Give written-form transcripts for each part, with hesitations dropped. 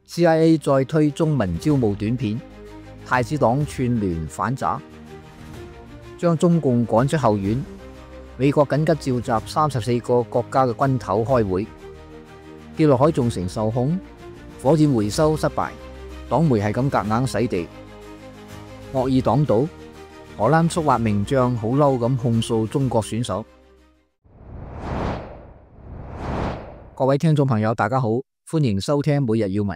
CIA 再推中文招募短片，太子黨串聯反詐，將中共趕出後院。美國緊急召集34個國家嘅軍頭開會。跌落海造成受控，火箭回收失敗，黨媒係咁夾硬洗地。惡意黨賭，荷蘭速滑名將好嬲咁控訴中國選手。各位聽眾朋友，大家好，歡迎收聽每日要聞。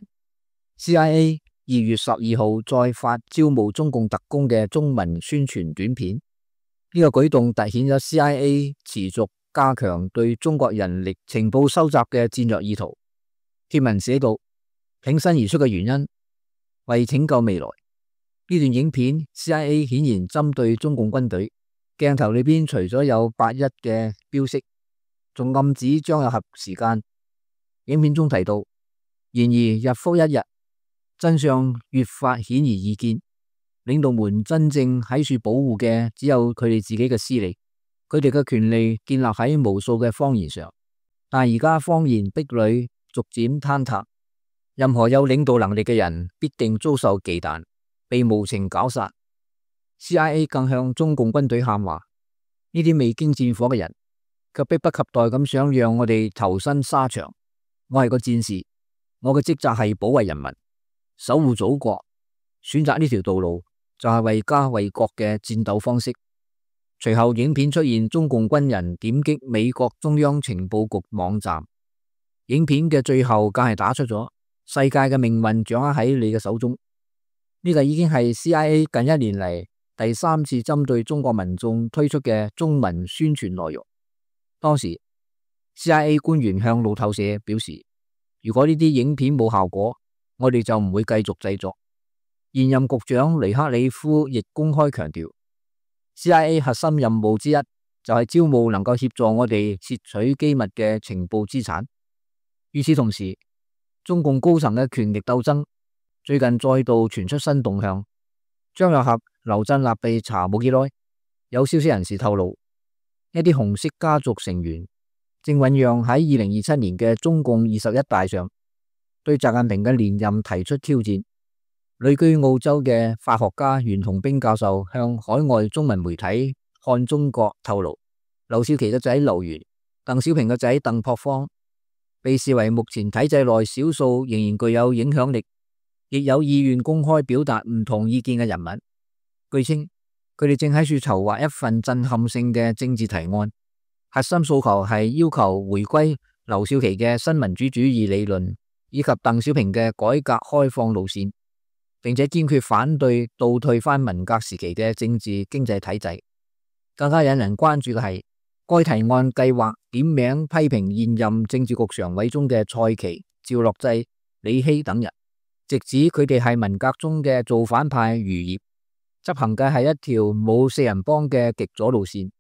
CIA 2月12號再發招募中共特工嘅中文宣傳短片，呢個舉動凸顯咗 CIA 持續加強對中國人力情報收集嘅戰略意圖。貼文寫道：挺身而出嘅原因，為拯救未來。呢段影片 CIA 顯然針對中共軍隊，鏡頭裏邊除咗有81嘅標識，仲暗指張又俠時間。影片中提到，然而日復一日，真相越發顯而易見。領導們真正喺處保護嘅只有佢哋自己嘅私利，佢哋嘅權利建立喺無數嘅謊言上。但而家謊言壁壘逐漸坍塌，任何有領導能力嘅人必定遭受忌憚，被無情絞殺。CIA 更向中共軍隊喊話：呢啲未經戰火嘅人，卻迫不及待咁想讓我哋投身沙場。我係個戰士，我嘅職責係保衛人民，守護祖國。選擇呢條道路就係為家為國嘅戰鬥方式。隨後影片出現中共軍人點擊美國中央情報局網站，影片嘅最後更係打出咗世界嘅命運掌握喺你嘅手中。呢個已經係 CIA 近1年嚟第3次針對中國民眾推出嘅中文宣傳內容。當時 CIA 官員向路透社表示，如果呢啲影片冇效果，我哋就唔會繼續製作。現任局長尼克里夫亦公開強調， CIA 核心任務之一就係招募能夠協助我哋竊取機密嘅情報資產。與此同時，中共高層嘅權力鬥爭最近再度傳出新動向。張又俠、劉振立被查冇幾耐，有消息人士透露，一啲紅色家族成員正醞釀喺2027年嘅中共21大上對習近平嘅連任提出挑戰。旅居澳洲嘅法學家袁同兵教授向海外中文媒體看中國透露，劉少奇嘅仔劉源、鄧小平嘅仔鄧樸方被視為目前體制內少數仍然具有影響力，亦有意願公開表達唔同意見嘅人物。據稱，佢哋正喺處籌劃一份震撼性嘅政治提案，核心訴求係要求回歸劉少奇嘅新民主主義理論，以及鄧小平嘅改革開放路線，並且堅決反對倒退翻文革時期嘅政治經濟體制。更加引人關注嘅係，該提案計劃點名批評現任政治局常委中嘅蔡奇、趙樂際、李希等人，直指佢哋係文革中嘅造反派餘孽，執行嘅係一條冇四人幫嘅極左路線。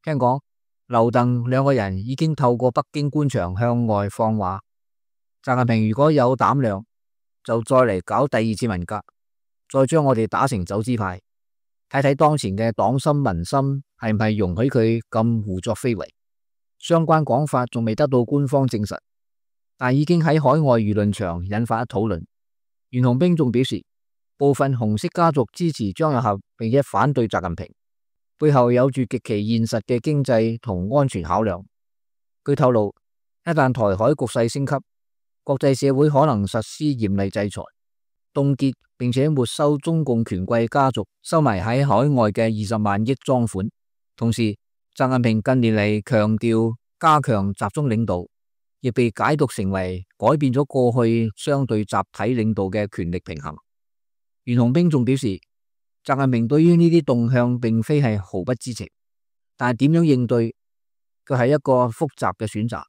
聽講劉鄧兩個人已經透過北京官場向外放話，習近平如果有膽量，就再嚟搞第2次文革，再將我哋打成走資派，睇睇當前嘅黨心民心係唔係容許佢咁胡作非為。相關講法仲未得到官方證實，但已經喺海外輿論場引發討論。袁同兵仲表示，部分紅色家族支持張又俠並且反對習近平，背後有住極其現實嘅經濟同安全考量。據透露，一旦台海局勢升級，國際社會可能實施嚴厲制裁，凍結並且沒收中共權貴家族收埋喺海外嘅20萬億贓款。同時，習近平近年嚟強調加強集中領導，亦被解讀成為改變咗過去相對集體領導嘅權力平衡。袁同兵仲表示，習近平對於呢啲動向並非係毫不知情，但係點樣應對，佢係一個複雜嘅選擇。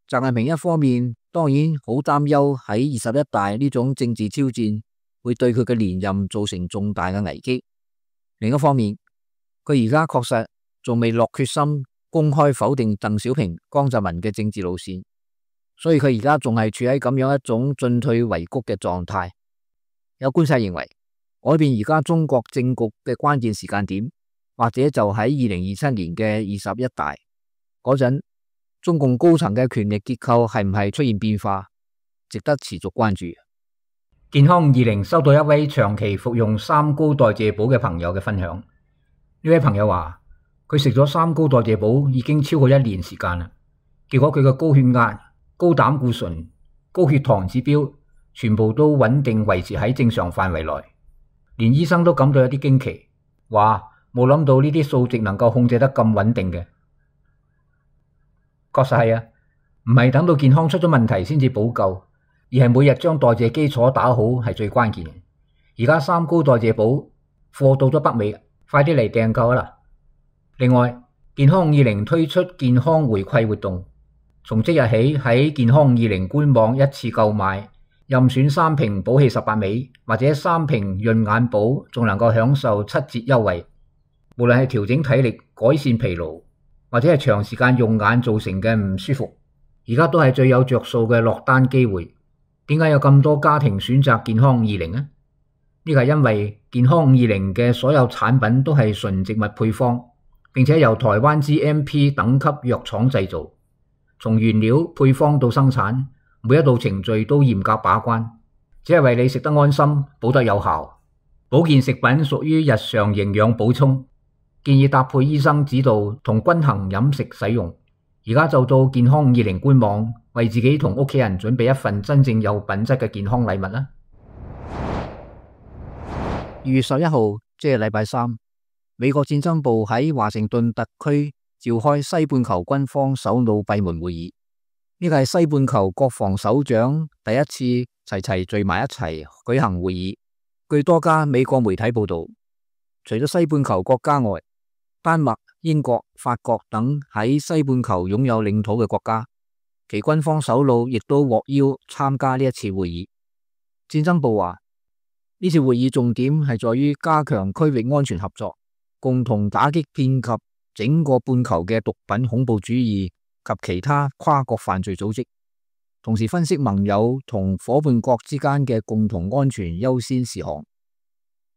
習近平一方面當然好擔憂喺21大呢種政治挑戰會對佢嘅連任造成重大嘅危機，另一方面佢而家確實仲未落決心公開否定鄧小平、江澤民嘅政治路線，所以佢而家仲係處喺咁樣一種進退維谷嘅狀態。有觀察認為，改變而家中國政局嘅關鍵時間點，或者就喺2027年嘅21大嗰陣，中共高層嘅權力結構係唔係出現變化，值得持續關注。健康20收到一位長期服用三高代謝寶嘅朋友嘅分享。呢位朋友話佢食咗三高代謝寶已經超過1年時間啦，結果佢嘅高血壓、高膽固醇、高血糖指標全部都穩定維持喺正常範圍內，連醫生都感到有啲驚奇，話冇諗到呢啲數值能夠控制得咁穩定嘅。確實係啊，唔係等到健康出咗問題先至補救，而係每日將代謝基礎打好係最關鍵嘅。而家三高代謝寶貨到咗北美，快啲嚟訂購啦！另外，健康50推出健康回饋活動，從即日起喺健康20官網一次購買，任選3瓶補氣18味或者3瓶潤眼寶，仲能夠享受7折優惠。無論係調整體力、改善疲勞，或者係長時間用眼造成嘅唔舒服，而家都係最有着數嘅落單機會。點解有咁多家庭選擇健康20呢？呢個係因為健康50嘅所有產品都係純植物配方，並且由台灣 GMP 等級藥廠製造，從原料配方到生產，每一道程序都嚴格把關，只係為你食得安心、補得有效。保健食品屬於日常營養補充，建議搭配醫生指導同均衡飲食使用。而家就到健康20官網，為自己同屋企人準備一份真正有品質嘅健康禮物啦。2月11號，即係禮拜三，美國戰爭部喺華盛頓特區召開西半球軍方首腦閉門會議。呢個係西半球國防首長第一次齊齊聚埋一齊舉行會議。據多家美國媒體報道，除咗西半球國家外，丹麥、英國、法國等喺西半球擁有領土嘅國家，其軍方首腦亦都獲邀參加呢一次會議。戰爭部話，呢次會議重點係在於加強區域安全合作，共同打擊遍及整個半球嘅毒品恐怖主義及其他跨國犯罪組織，同時分析盟友同夥伴國之間嘅共同安全優先事項。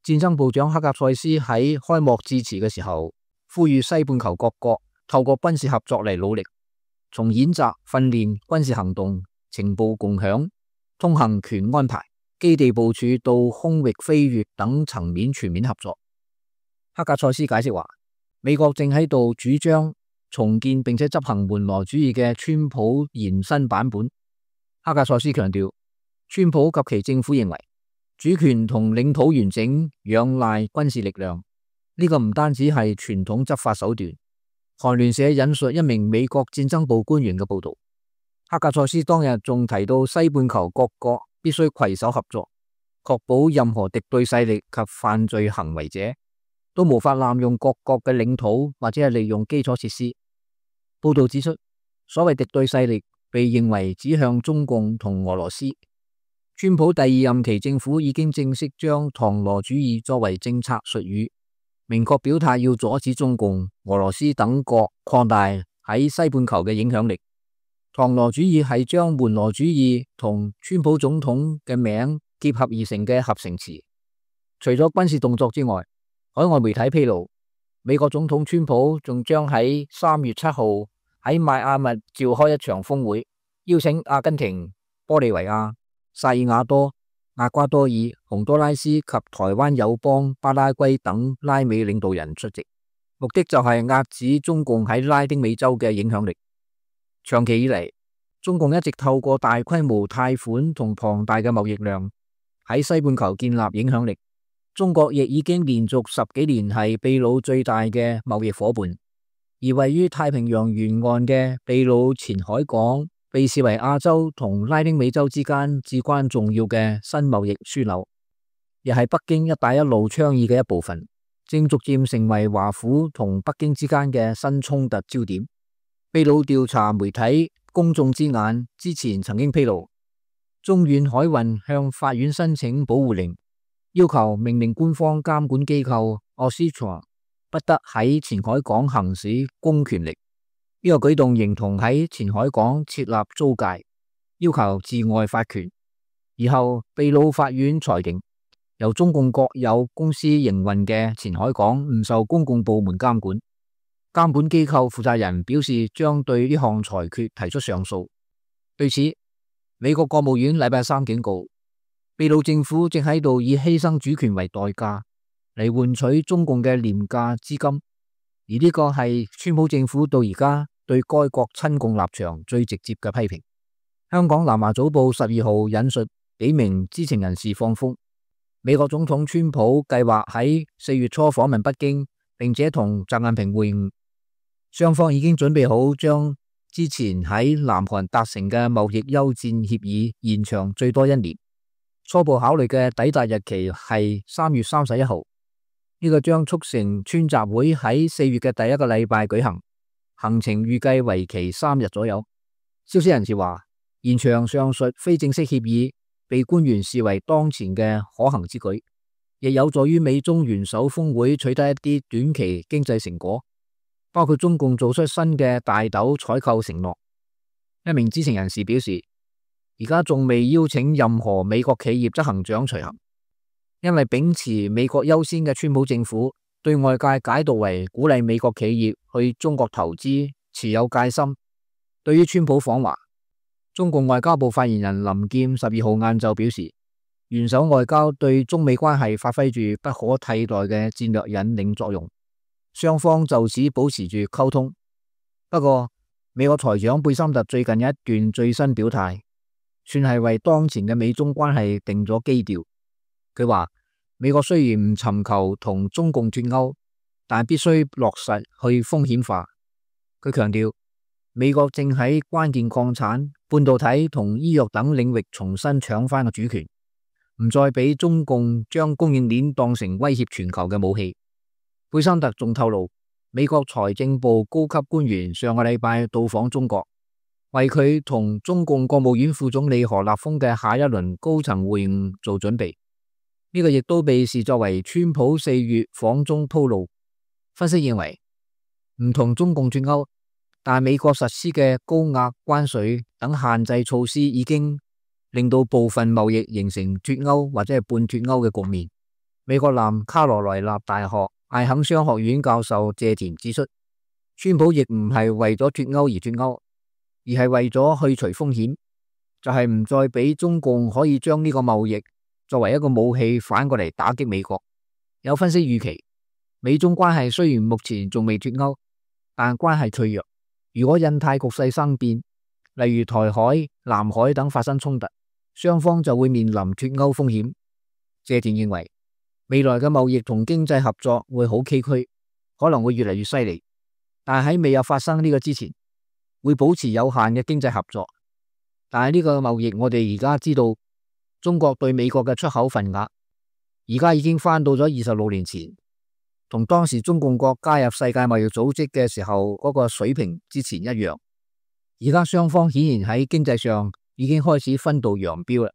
戰爭部長克格塞斯喺開幕致辭嘅時候，呼籲西半球各國透過軍事合作嚟努力，從演習、訓練、軍事行動、情報共享、通行權安排、基地部署到空域飛越等層面全面合作。克格塞斯解釋話，美國正喺度主張重建並且執行門羅主義嘅川普延伸版本。克格塞斯強調，川普及其政府認為主權同領土完整仰賴軍事力量，呢個唔單止係傳統執法手段。韓聯社引述一名美國戰爭部官員嘅報道，克格塞斯當日仲提到西半球各國必須攜手合作，確保任何敵對勢力及犯罪行為者都無法濫用各國嘅領土或者係利用基礎設施。報道指出，所謂敵對勢力被認為指向中共同俄羅斯。川普第2任期政府已經正式將唐羅主義作為政策術語，明確表態要阻止中共、俄羅斯等國擴大喺西半球嘅影響力。唐羅主義係將門羅主義同川普總統嘅名結合而成嘅合成詞。除咗軍事動作之外，海外媒體披露，美國總統川普仲將喺3月7號喺邁阿密召開一場峰會，邀請阿根廷、玻利維亞、薩爾瓦多、厄瓜多爾、洪都拉斯及台灣友邦巴拉圭等拉美領導人出席，目的就係遏止中共喺拉丁美洲嘅影響力。長期以嚟，中共一直透過大規模貸款同龐大嘅貿易量喺西半球建立影響力。中國亦已經連續10幾年係秘魯最大嘅貿易夥伴，而位於太平洋沿岸嘅秘魯前海港被視為亞洲同拉丁美洲之間至關重要嘅新貿易樞紐，亦係北京一帶一路倡議嘅一部分，正逐漸成為華府同北京之間嘅新衝突焦點。秘魯調查媒體公眾之眼之前曾經披露，中遠海運向法院申請保護令，要求命令官方監管機構 Oxitron 不得喺前海港行使公權力。呢個舉動形同喺前海港設立租界，要求治外法權。而後秘魯法院裁定，由中共國有公司營運嘅前海港唔受公共部門監管。監管機構負責人表示將對呢項裁決提出上訴。對此，美國國務院禮拜三警告，秘魯政府正喺度以犧牲主權為代價嚟換取中共嘅廉價資金，而呢個係川普政府到而家對該國親共立場最直接嘅批評。香港南華早報12號引述幾名知情人士放風，美國總統川普計劃喺4月初訪問北京，並且同習近平會晤，雙方已經準備好將之前喺南韓達成嘅貿易休戰協議延長最多1年，初步考慮嘅抵達日期係3月31號。呢個將促成川習會喺4月嘅第一個禮拜舉行，行程預計為期3日左右。消息人士話，延長上述非正式協議被官員視為當前嘅可行之舉，亦有助於美中元首峰會取得一啲短期經濟成果，包括中共做出新嘅大豆採購承諾。一名知情人士表示，而家仲未邀請任何美國企業執行長隨行，因為秉持美國優先嘅川普政府對外界解讀為鼓勵美國企業去中國投資持有戒心。對於川普訪華，中共外交部發言人林劍12號晏晝表示，元首外交對中美關係發揮住不可替代嘅戰略引領作用，雙方就此保持住溝通。不過，美國財長貝森特最近有一段最新表態，算係為當前嘅美中關係定咗基調。佢話，美國雖然唔尋求同中共脫鈎，但必須落實去風險化。佢強調，美國正喺關鍵礦產、半導體同醫藥等領域重新搶翻個主權，唔再俾中共將供應鏈當成威脅全球嘅武器。貝森特仲透露，美國財政部高級官員上個禮拜到訪中國，為佢同中共國務院副總理何立峰嘅下一輪高層會晤做準備。呢個亦都被視作為川普4月訪中鋪路。分析認為，唔同中共脫鈎，但美國實施嘅高額關稅等限制措施已經令到部分貿易形成脫鈎或者係半脫鈎嘅局面。美國南卡羅來納大學艾肯商學院教授謝田指出，川普亦唔係為咗脫鈎而脫鈎，而係為咗去除風險，就係唔再俾中共可以將呢個貿易作為一個武器反過嚟打擊美國。有分析預期，美中關係雖然目前仲未脫鈎，但關係脆弱。如果印太局勢生變，例如台海、南海等發生衝突，雙方就會面臨脫鈎風險。謝田認為，未來嘅貿易同經濟合作會好崎嶇，可能會越嚟越犀利，但喺未有發生呢個之前，會保持有限嘅經濟合作。但係呢個貿易，我哋而家知道，中國對美國嘅出口份額，而家已經翻到咗26年前，同當時中共國加入世界貿易組織嘅時候嗰個水平之前一樣。而家雙方顯然喺經濟上已經開始分道揚鑣啦。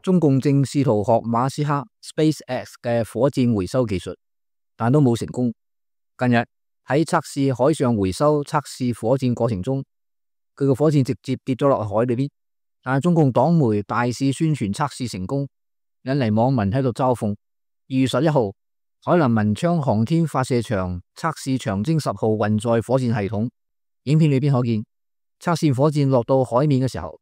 中共正試圖學馬斯克 SpaceX 嘅火箭回收技術，但都冇成功。近日喺測試海上回收測試火箭過程中，佢個火箭直接跌咗落海裏邊。但係中共黨媒大肆宣傳測試成功，引嚟網民喺度嘲諷。2月11號，海南文昌航天發射場測試長征10號運載火箭系統，影片裏邊可見測試火箭落到海面嘅時候，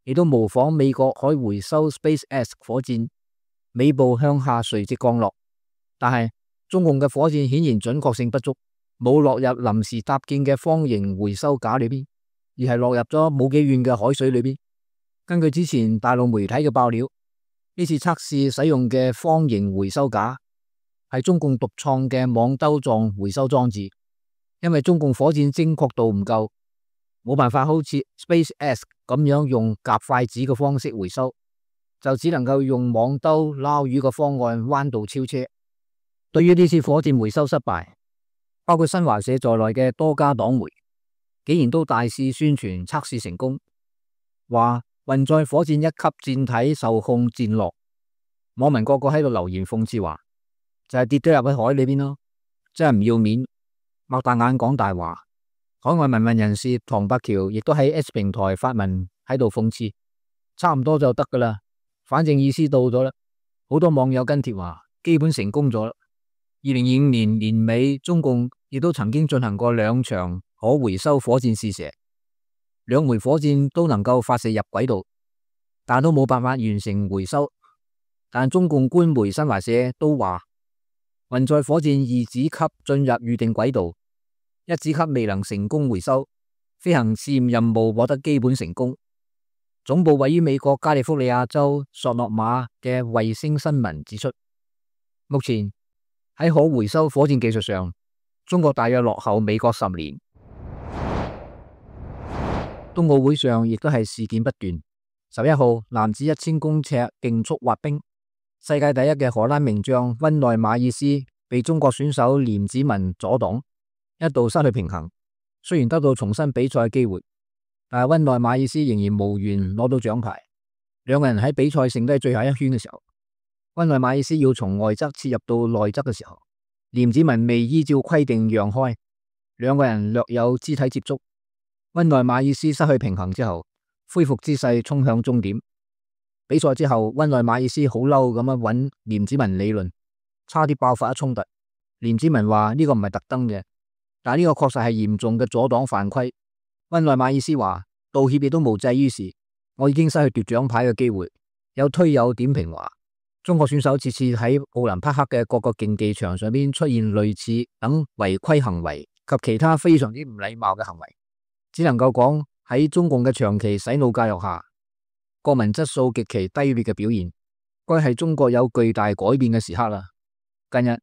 亦都模仿美國可回收 SpaceX 火箭尾部向下垂直降落，但係中共嘅火箭顯然準確性不足，冇落入臨時搭建嘅方形回收架裏邊，而係落入咗冇幾遠嘅海水裏邊。根據之前大陸媒體嘅爆料，呢次測試使用嘅方形回收架係中共獨創嘅網兜狀回收裝置，因為中共火箭精確度唔夠，冇辦法好似 SpaceX 咁樣用夾筷子嘅方式回收，就只能夠用網兜撈魚嘅方案彎道超車。對於呢次火箭回收失敗，包括新華社在內嘅多家黨媒竟然都大肆宣傳測試成功，話運載火箭一級箭體受控箭落。網民個個喺度留言諷刺話，就係跌咗入去海裏邊咯，真係唔要面，擘大眼講大話。海外民運人士唐伯橋亦都喺 X 平台發文喺度諷刺，差唔多就得噶啦，反正意思到咗啦。好多網友跟帖話，基本成功咗啦。2025年年尾，中共亦都曾經進行過2場可回收火箭試射，2枚火箭都能夠發射入軌道，但都冇辦法完成回收。但中共官媒新華社都話，運載火箭二子級進入預定軌道，一子級未能成功回收，飛行試驗任務獲得基本成功。總部位於美國加利福尼亞州索諾馬嘅衛星新聞指出，目前喺可回收火箭技術上，中國大約落後美國10年。冬奧會上亦都係事件不斷。11號男子1000公尺競速滑冰，世界第一嘅荷蘭名將溫內馬爾斯被中國選手廉子文阻擋，一度失去平衡。雖然得到重新比賽機會，但係溫內馬爾斯仍然無緣攞到獎牌。兩個人喺比賽剩低最後一圈嘅時候，溫內馬爾斯要從外側切入到內側嘅時候，廉子文未依照規定讓開，兩個人略有肢體接觸。溫內馬爾斯失去平衡之後，恢復姿勢衝向終點。比賽之後，溫內馬爾斯好嬲咁樣揾廉子文理論，差啲爆發一衝突。廉子文話呢個唔係特登嘅，但呢個確實係嚴重嘅阻擋犯規。溫內馬爾斯話道歉亦都無濟於事，我已經失去奪獎牌嘅機會。有推友點評話，中國選手次次喺奧林匹克嘅各個競技場上邊出現類似等違規行為及其他非常之唔禮貌嘅行為，只能夠講喺中共嘅長期洗腦教育下，國民質素極其低劣嘅表現，該係中國有巨大改變嘅時刻啦。近日，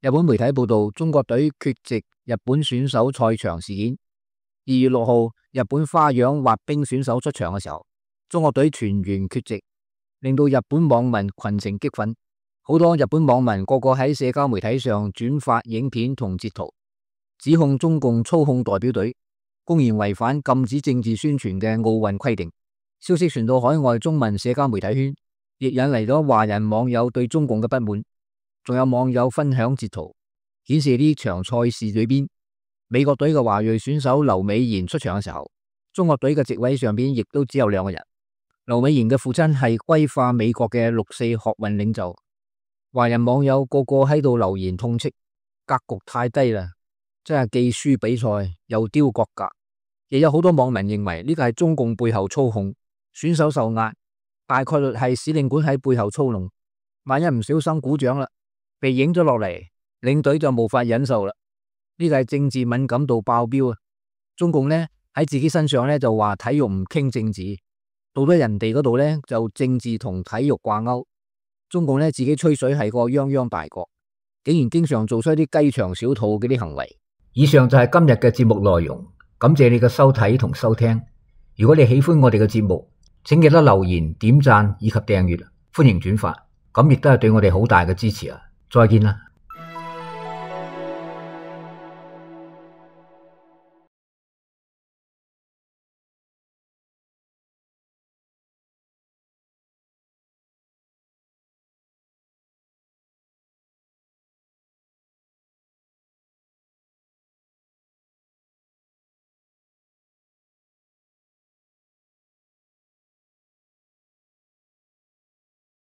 日本媒體報道中國隊缺席日本選手賽場事件。2月6號，日本花樣滑冰選手出場嘅時候，中國隊全員缺席，令到日本網民群情激憤。好多日本網民個個喺社交媒體上轉發影片同截圖，指控中共操控代表隊，公然違反禁止政治宣傳嘅奧運規定。消息傳到海外中文社交媒體圈，亦引嚟咗華人網友對中共嘅不滿。仲有網友分享截圖，顯示呢場賽事裏邊，美國隊嘅華裔選手劉美賢出場嘅時候，中國隊嘅席位上邊亦都只有2個人。劉美賢嘅父親係歸化美國嘅6.4學運領袖。華人網友個個喺度留言痛斥，格局太低啦，真係既輸比賽又丟國格。亦有好多網民認為呢個係中共背後操控，選手受壓，大概率係使領館喺背後操弄。萬一唔小心鼓掌啦，被影咗落嚟，領隊就無法忍受啦。呢個係政治敏感度爆表啊！中共呢喺自己身上呢就話體育唔傾政治，到咗人哋嗰度呢就政治同體育掛鈎。中共呢自己吹水係個泱泱大國，竟然經常做出一啲雞腸小肚嗰啲行為。以上就係今日嘅節目內容，感謝你嘅收睇同收聽。如果你喜歡我哋嘅節目，請記得留言、點讚以及訂閱，歡迎轉發，咁亦都係對我哋好大嘅支持啊！再見啦！